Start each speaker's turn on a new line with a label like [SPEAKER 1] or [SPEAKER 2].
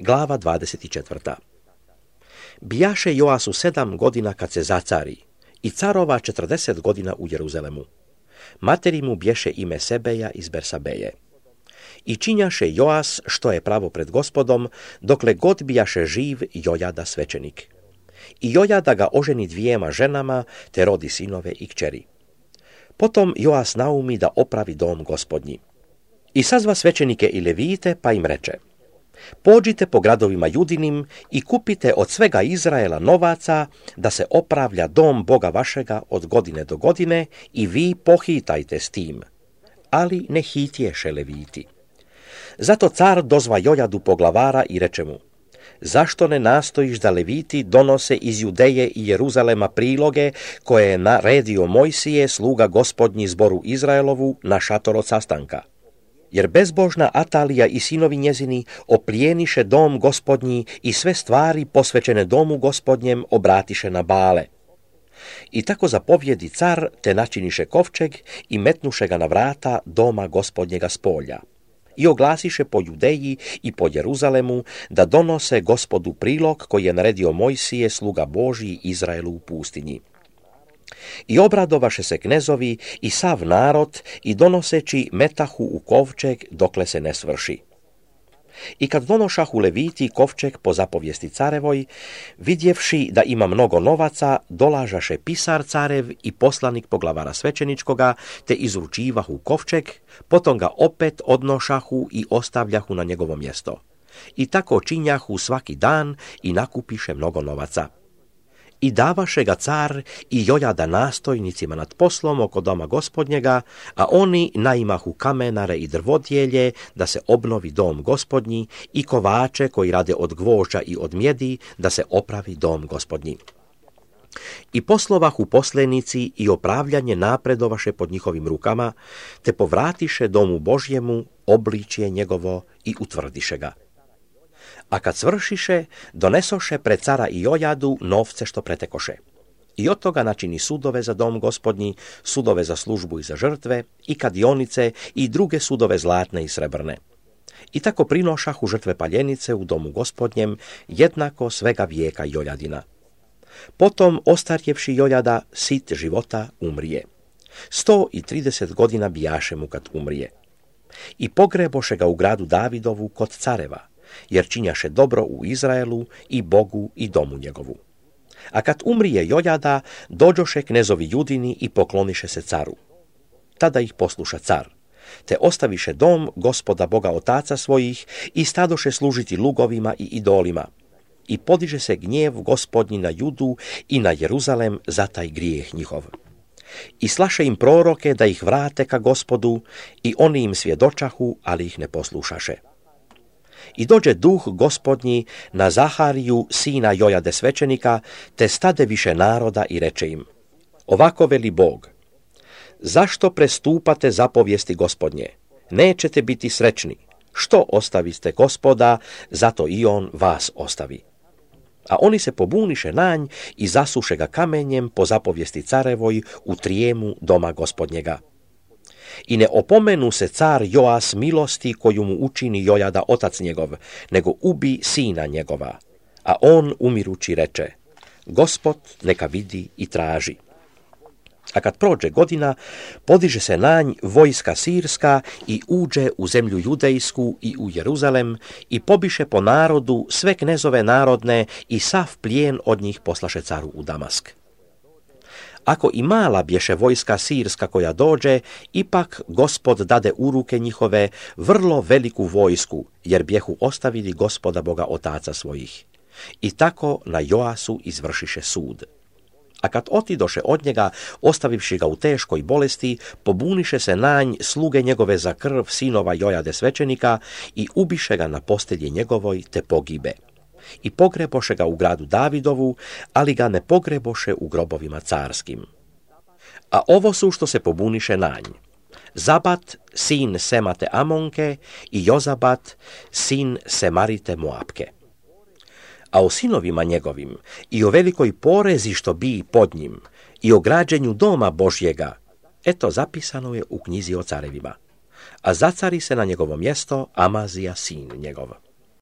[SPEAKER 1] Glava 24. Bijaše Joasu 7 godina kad se zacari i carova 40 godina u Jeruzalemu. Materi mu bješe ime Sebeja iz Bersabeje. I činjaše Joas što je pravo pred Gospodom, dokle god bijaše živ Jojada svećenik. I Jojada ga oženi 2 ženama, te rodi sinove i kćeri. Potom Joas naumi da opravi dom Gospodnji. I sazva svećenike i levite, pa im reče: pođite po gradovima Judinim i kupite od svega Izraela novaca, da se opravlja dom Boga vašega od godine do godine, i vi pohitajte s tim. Ali ne hitješe leviti. Zato car dozva Jojadu poglavara i reče mu: zašto ne nastojiš da leviti donose iz Judeje i Jeruzalema priloge koje je naredio Mojsije, sluga Gospodnji zboru Izraelovu, na šator od sastanka? Jer bezbožna Atalija i sinovi njezini oplijeniše dom Gospodnji i sve stvari posvećene domu Gospodnjem obratiše na Bale. I tako zapovjedi car, te načiniše kovčeg i metnuše ga na vrata doma Gospodnjega s polja. I oglasiše po Judeji i po Jeruzalemu da donose Gospodu prilog koji je naredio Mojsije, sluga Božji, Izraelu u pustinji. I obradovaše se knezovi i sav narod i donoseći metahu u kovčeg dokle se ne svrši. I kad donošahu leviti kovčeg po zapovijesti carevoj, vidjevši da ima mnogo novaca, dolažaše pisar carev i poslanik poglavara svećeničkoga, te izručivahu kovčeg, potom ga opet odnošahu i ostavljahu na njegovo mjesto. I tako činjahu svaki dan i nakupiše mnogo novaca. I davaše ga car i Jojada nastojnicima nad poslom oko doma Gospodnjega, a oni naimahu kamenare i drvodjelje da se obnovi dom Gospodnji i kovače koji rade od gvožđa i od mjedi da se opravi dom Gospodnji. I poslovahu poslenici i opravljanje napredovaše pod njihovim rukama, te povratiše domu Božjemu obličje njegovo i utvrdiše ga. A kad svršiše, donesoše pred cara i Jojadu novce što pretekoše. I od toga načini sudove za dom Gospodnji, sudove za službu i za žrtve, i kadionice i druge sudove zlatne i srebrne. I tako prinošahu žrtve paljenice u domu Gospodnjem, jednako svega vijeka Jojadina. Potom, ostarjevši Jojada, sit života, umrije. 130 godina bijaše mu kad umrije. I pogreboše ga u gradu Davidovu kod careva, jer činjaše dobro u Izraelu i Bogu i domu njegovu. A kad umrije Jojada, dođoše knezovi Judini i pokloniše se caru. Tada ih posluša car, te ostaviše dom Gospoda Boga otaca svojih i stadoše služiti lugovima i idolima. I podiže se gnjev Gospodnji na Judu i na Jeruzalem za taj grijeh njihov. I slaše im proroke da ih vrate ka Gospodu, i oni im svjedočahu, ali ih ne poslušaše. I dođe duh Gospodnji na Zahariju, sina Jojade svećenika, te stade više naroda i reče im: ovako veli Bog, zašto prestupate zapovijesti Gospodnje? Nećete biti srećni. Što ostaviste Gospoda, zato i on vas ostavi. A oni se pobuniše nanj i zasuše ga kamenjem po zapovijesti carevoj u trijemu doma Gospodnjega. I ne opomenu se car Joas milosti koju mu učini Jojada otac njegov, nego ubi sina njegova. A on umirući reče: Gospod neka vidi i traži. A kad prođe godina, podiže se nanj vojska sirska i uđe u zemlju judejsku i u Jeruzalem i pobiše po narodu sve knezove narodne i sav plijen od njih poslaše caru u Damask. Ako i mala bješe vojska sirska koja dođe, ipak Gospod dade u ruke njihove vrlo veliku vojsku, jer bjehu ostavili Gospoda Boga otaca svojih. I tako na Joasu izvršiše sud. A kad otidoše od njega, ostavivši ga u teškoj bolesti, pobuniše se nanj sluge njegove za krv sinova Jojade svećenika i ubiše ga na postelji njegovoj, te pogibe. I pogreboše ga u gradu Davidovu, ali ga ne pogreboše u grobovima carskim. A ovo su što se pobuniše nanj: Zabat, sin Semate Amonke, i Jozabat, sin Semarite Moapke. A o sinovima njegovim i o velikoj porezi što bi pod njim i o građenju doma Božjega, eto zapisano je u knjizi o carevima. A zacari se na njegovo mjesto Amazija sin njegov.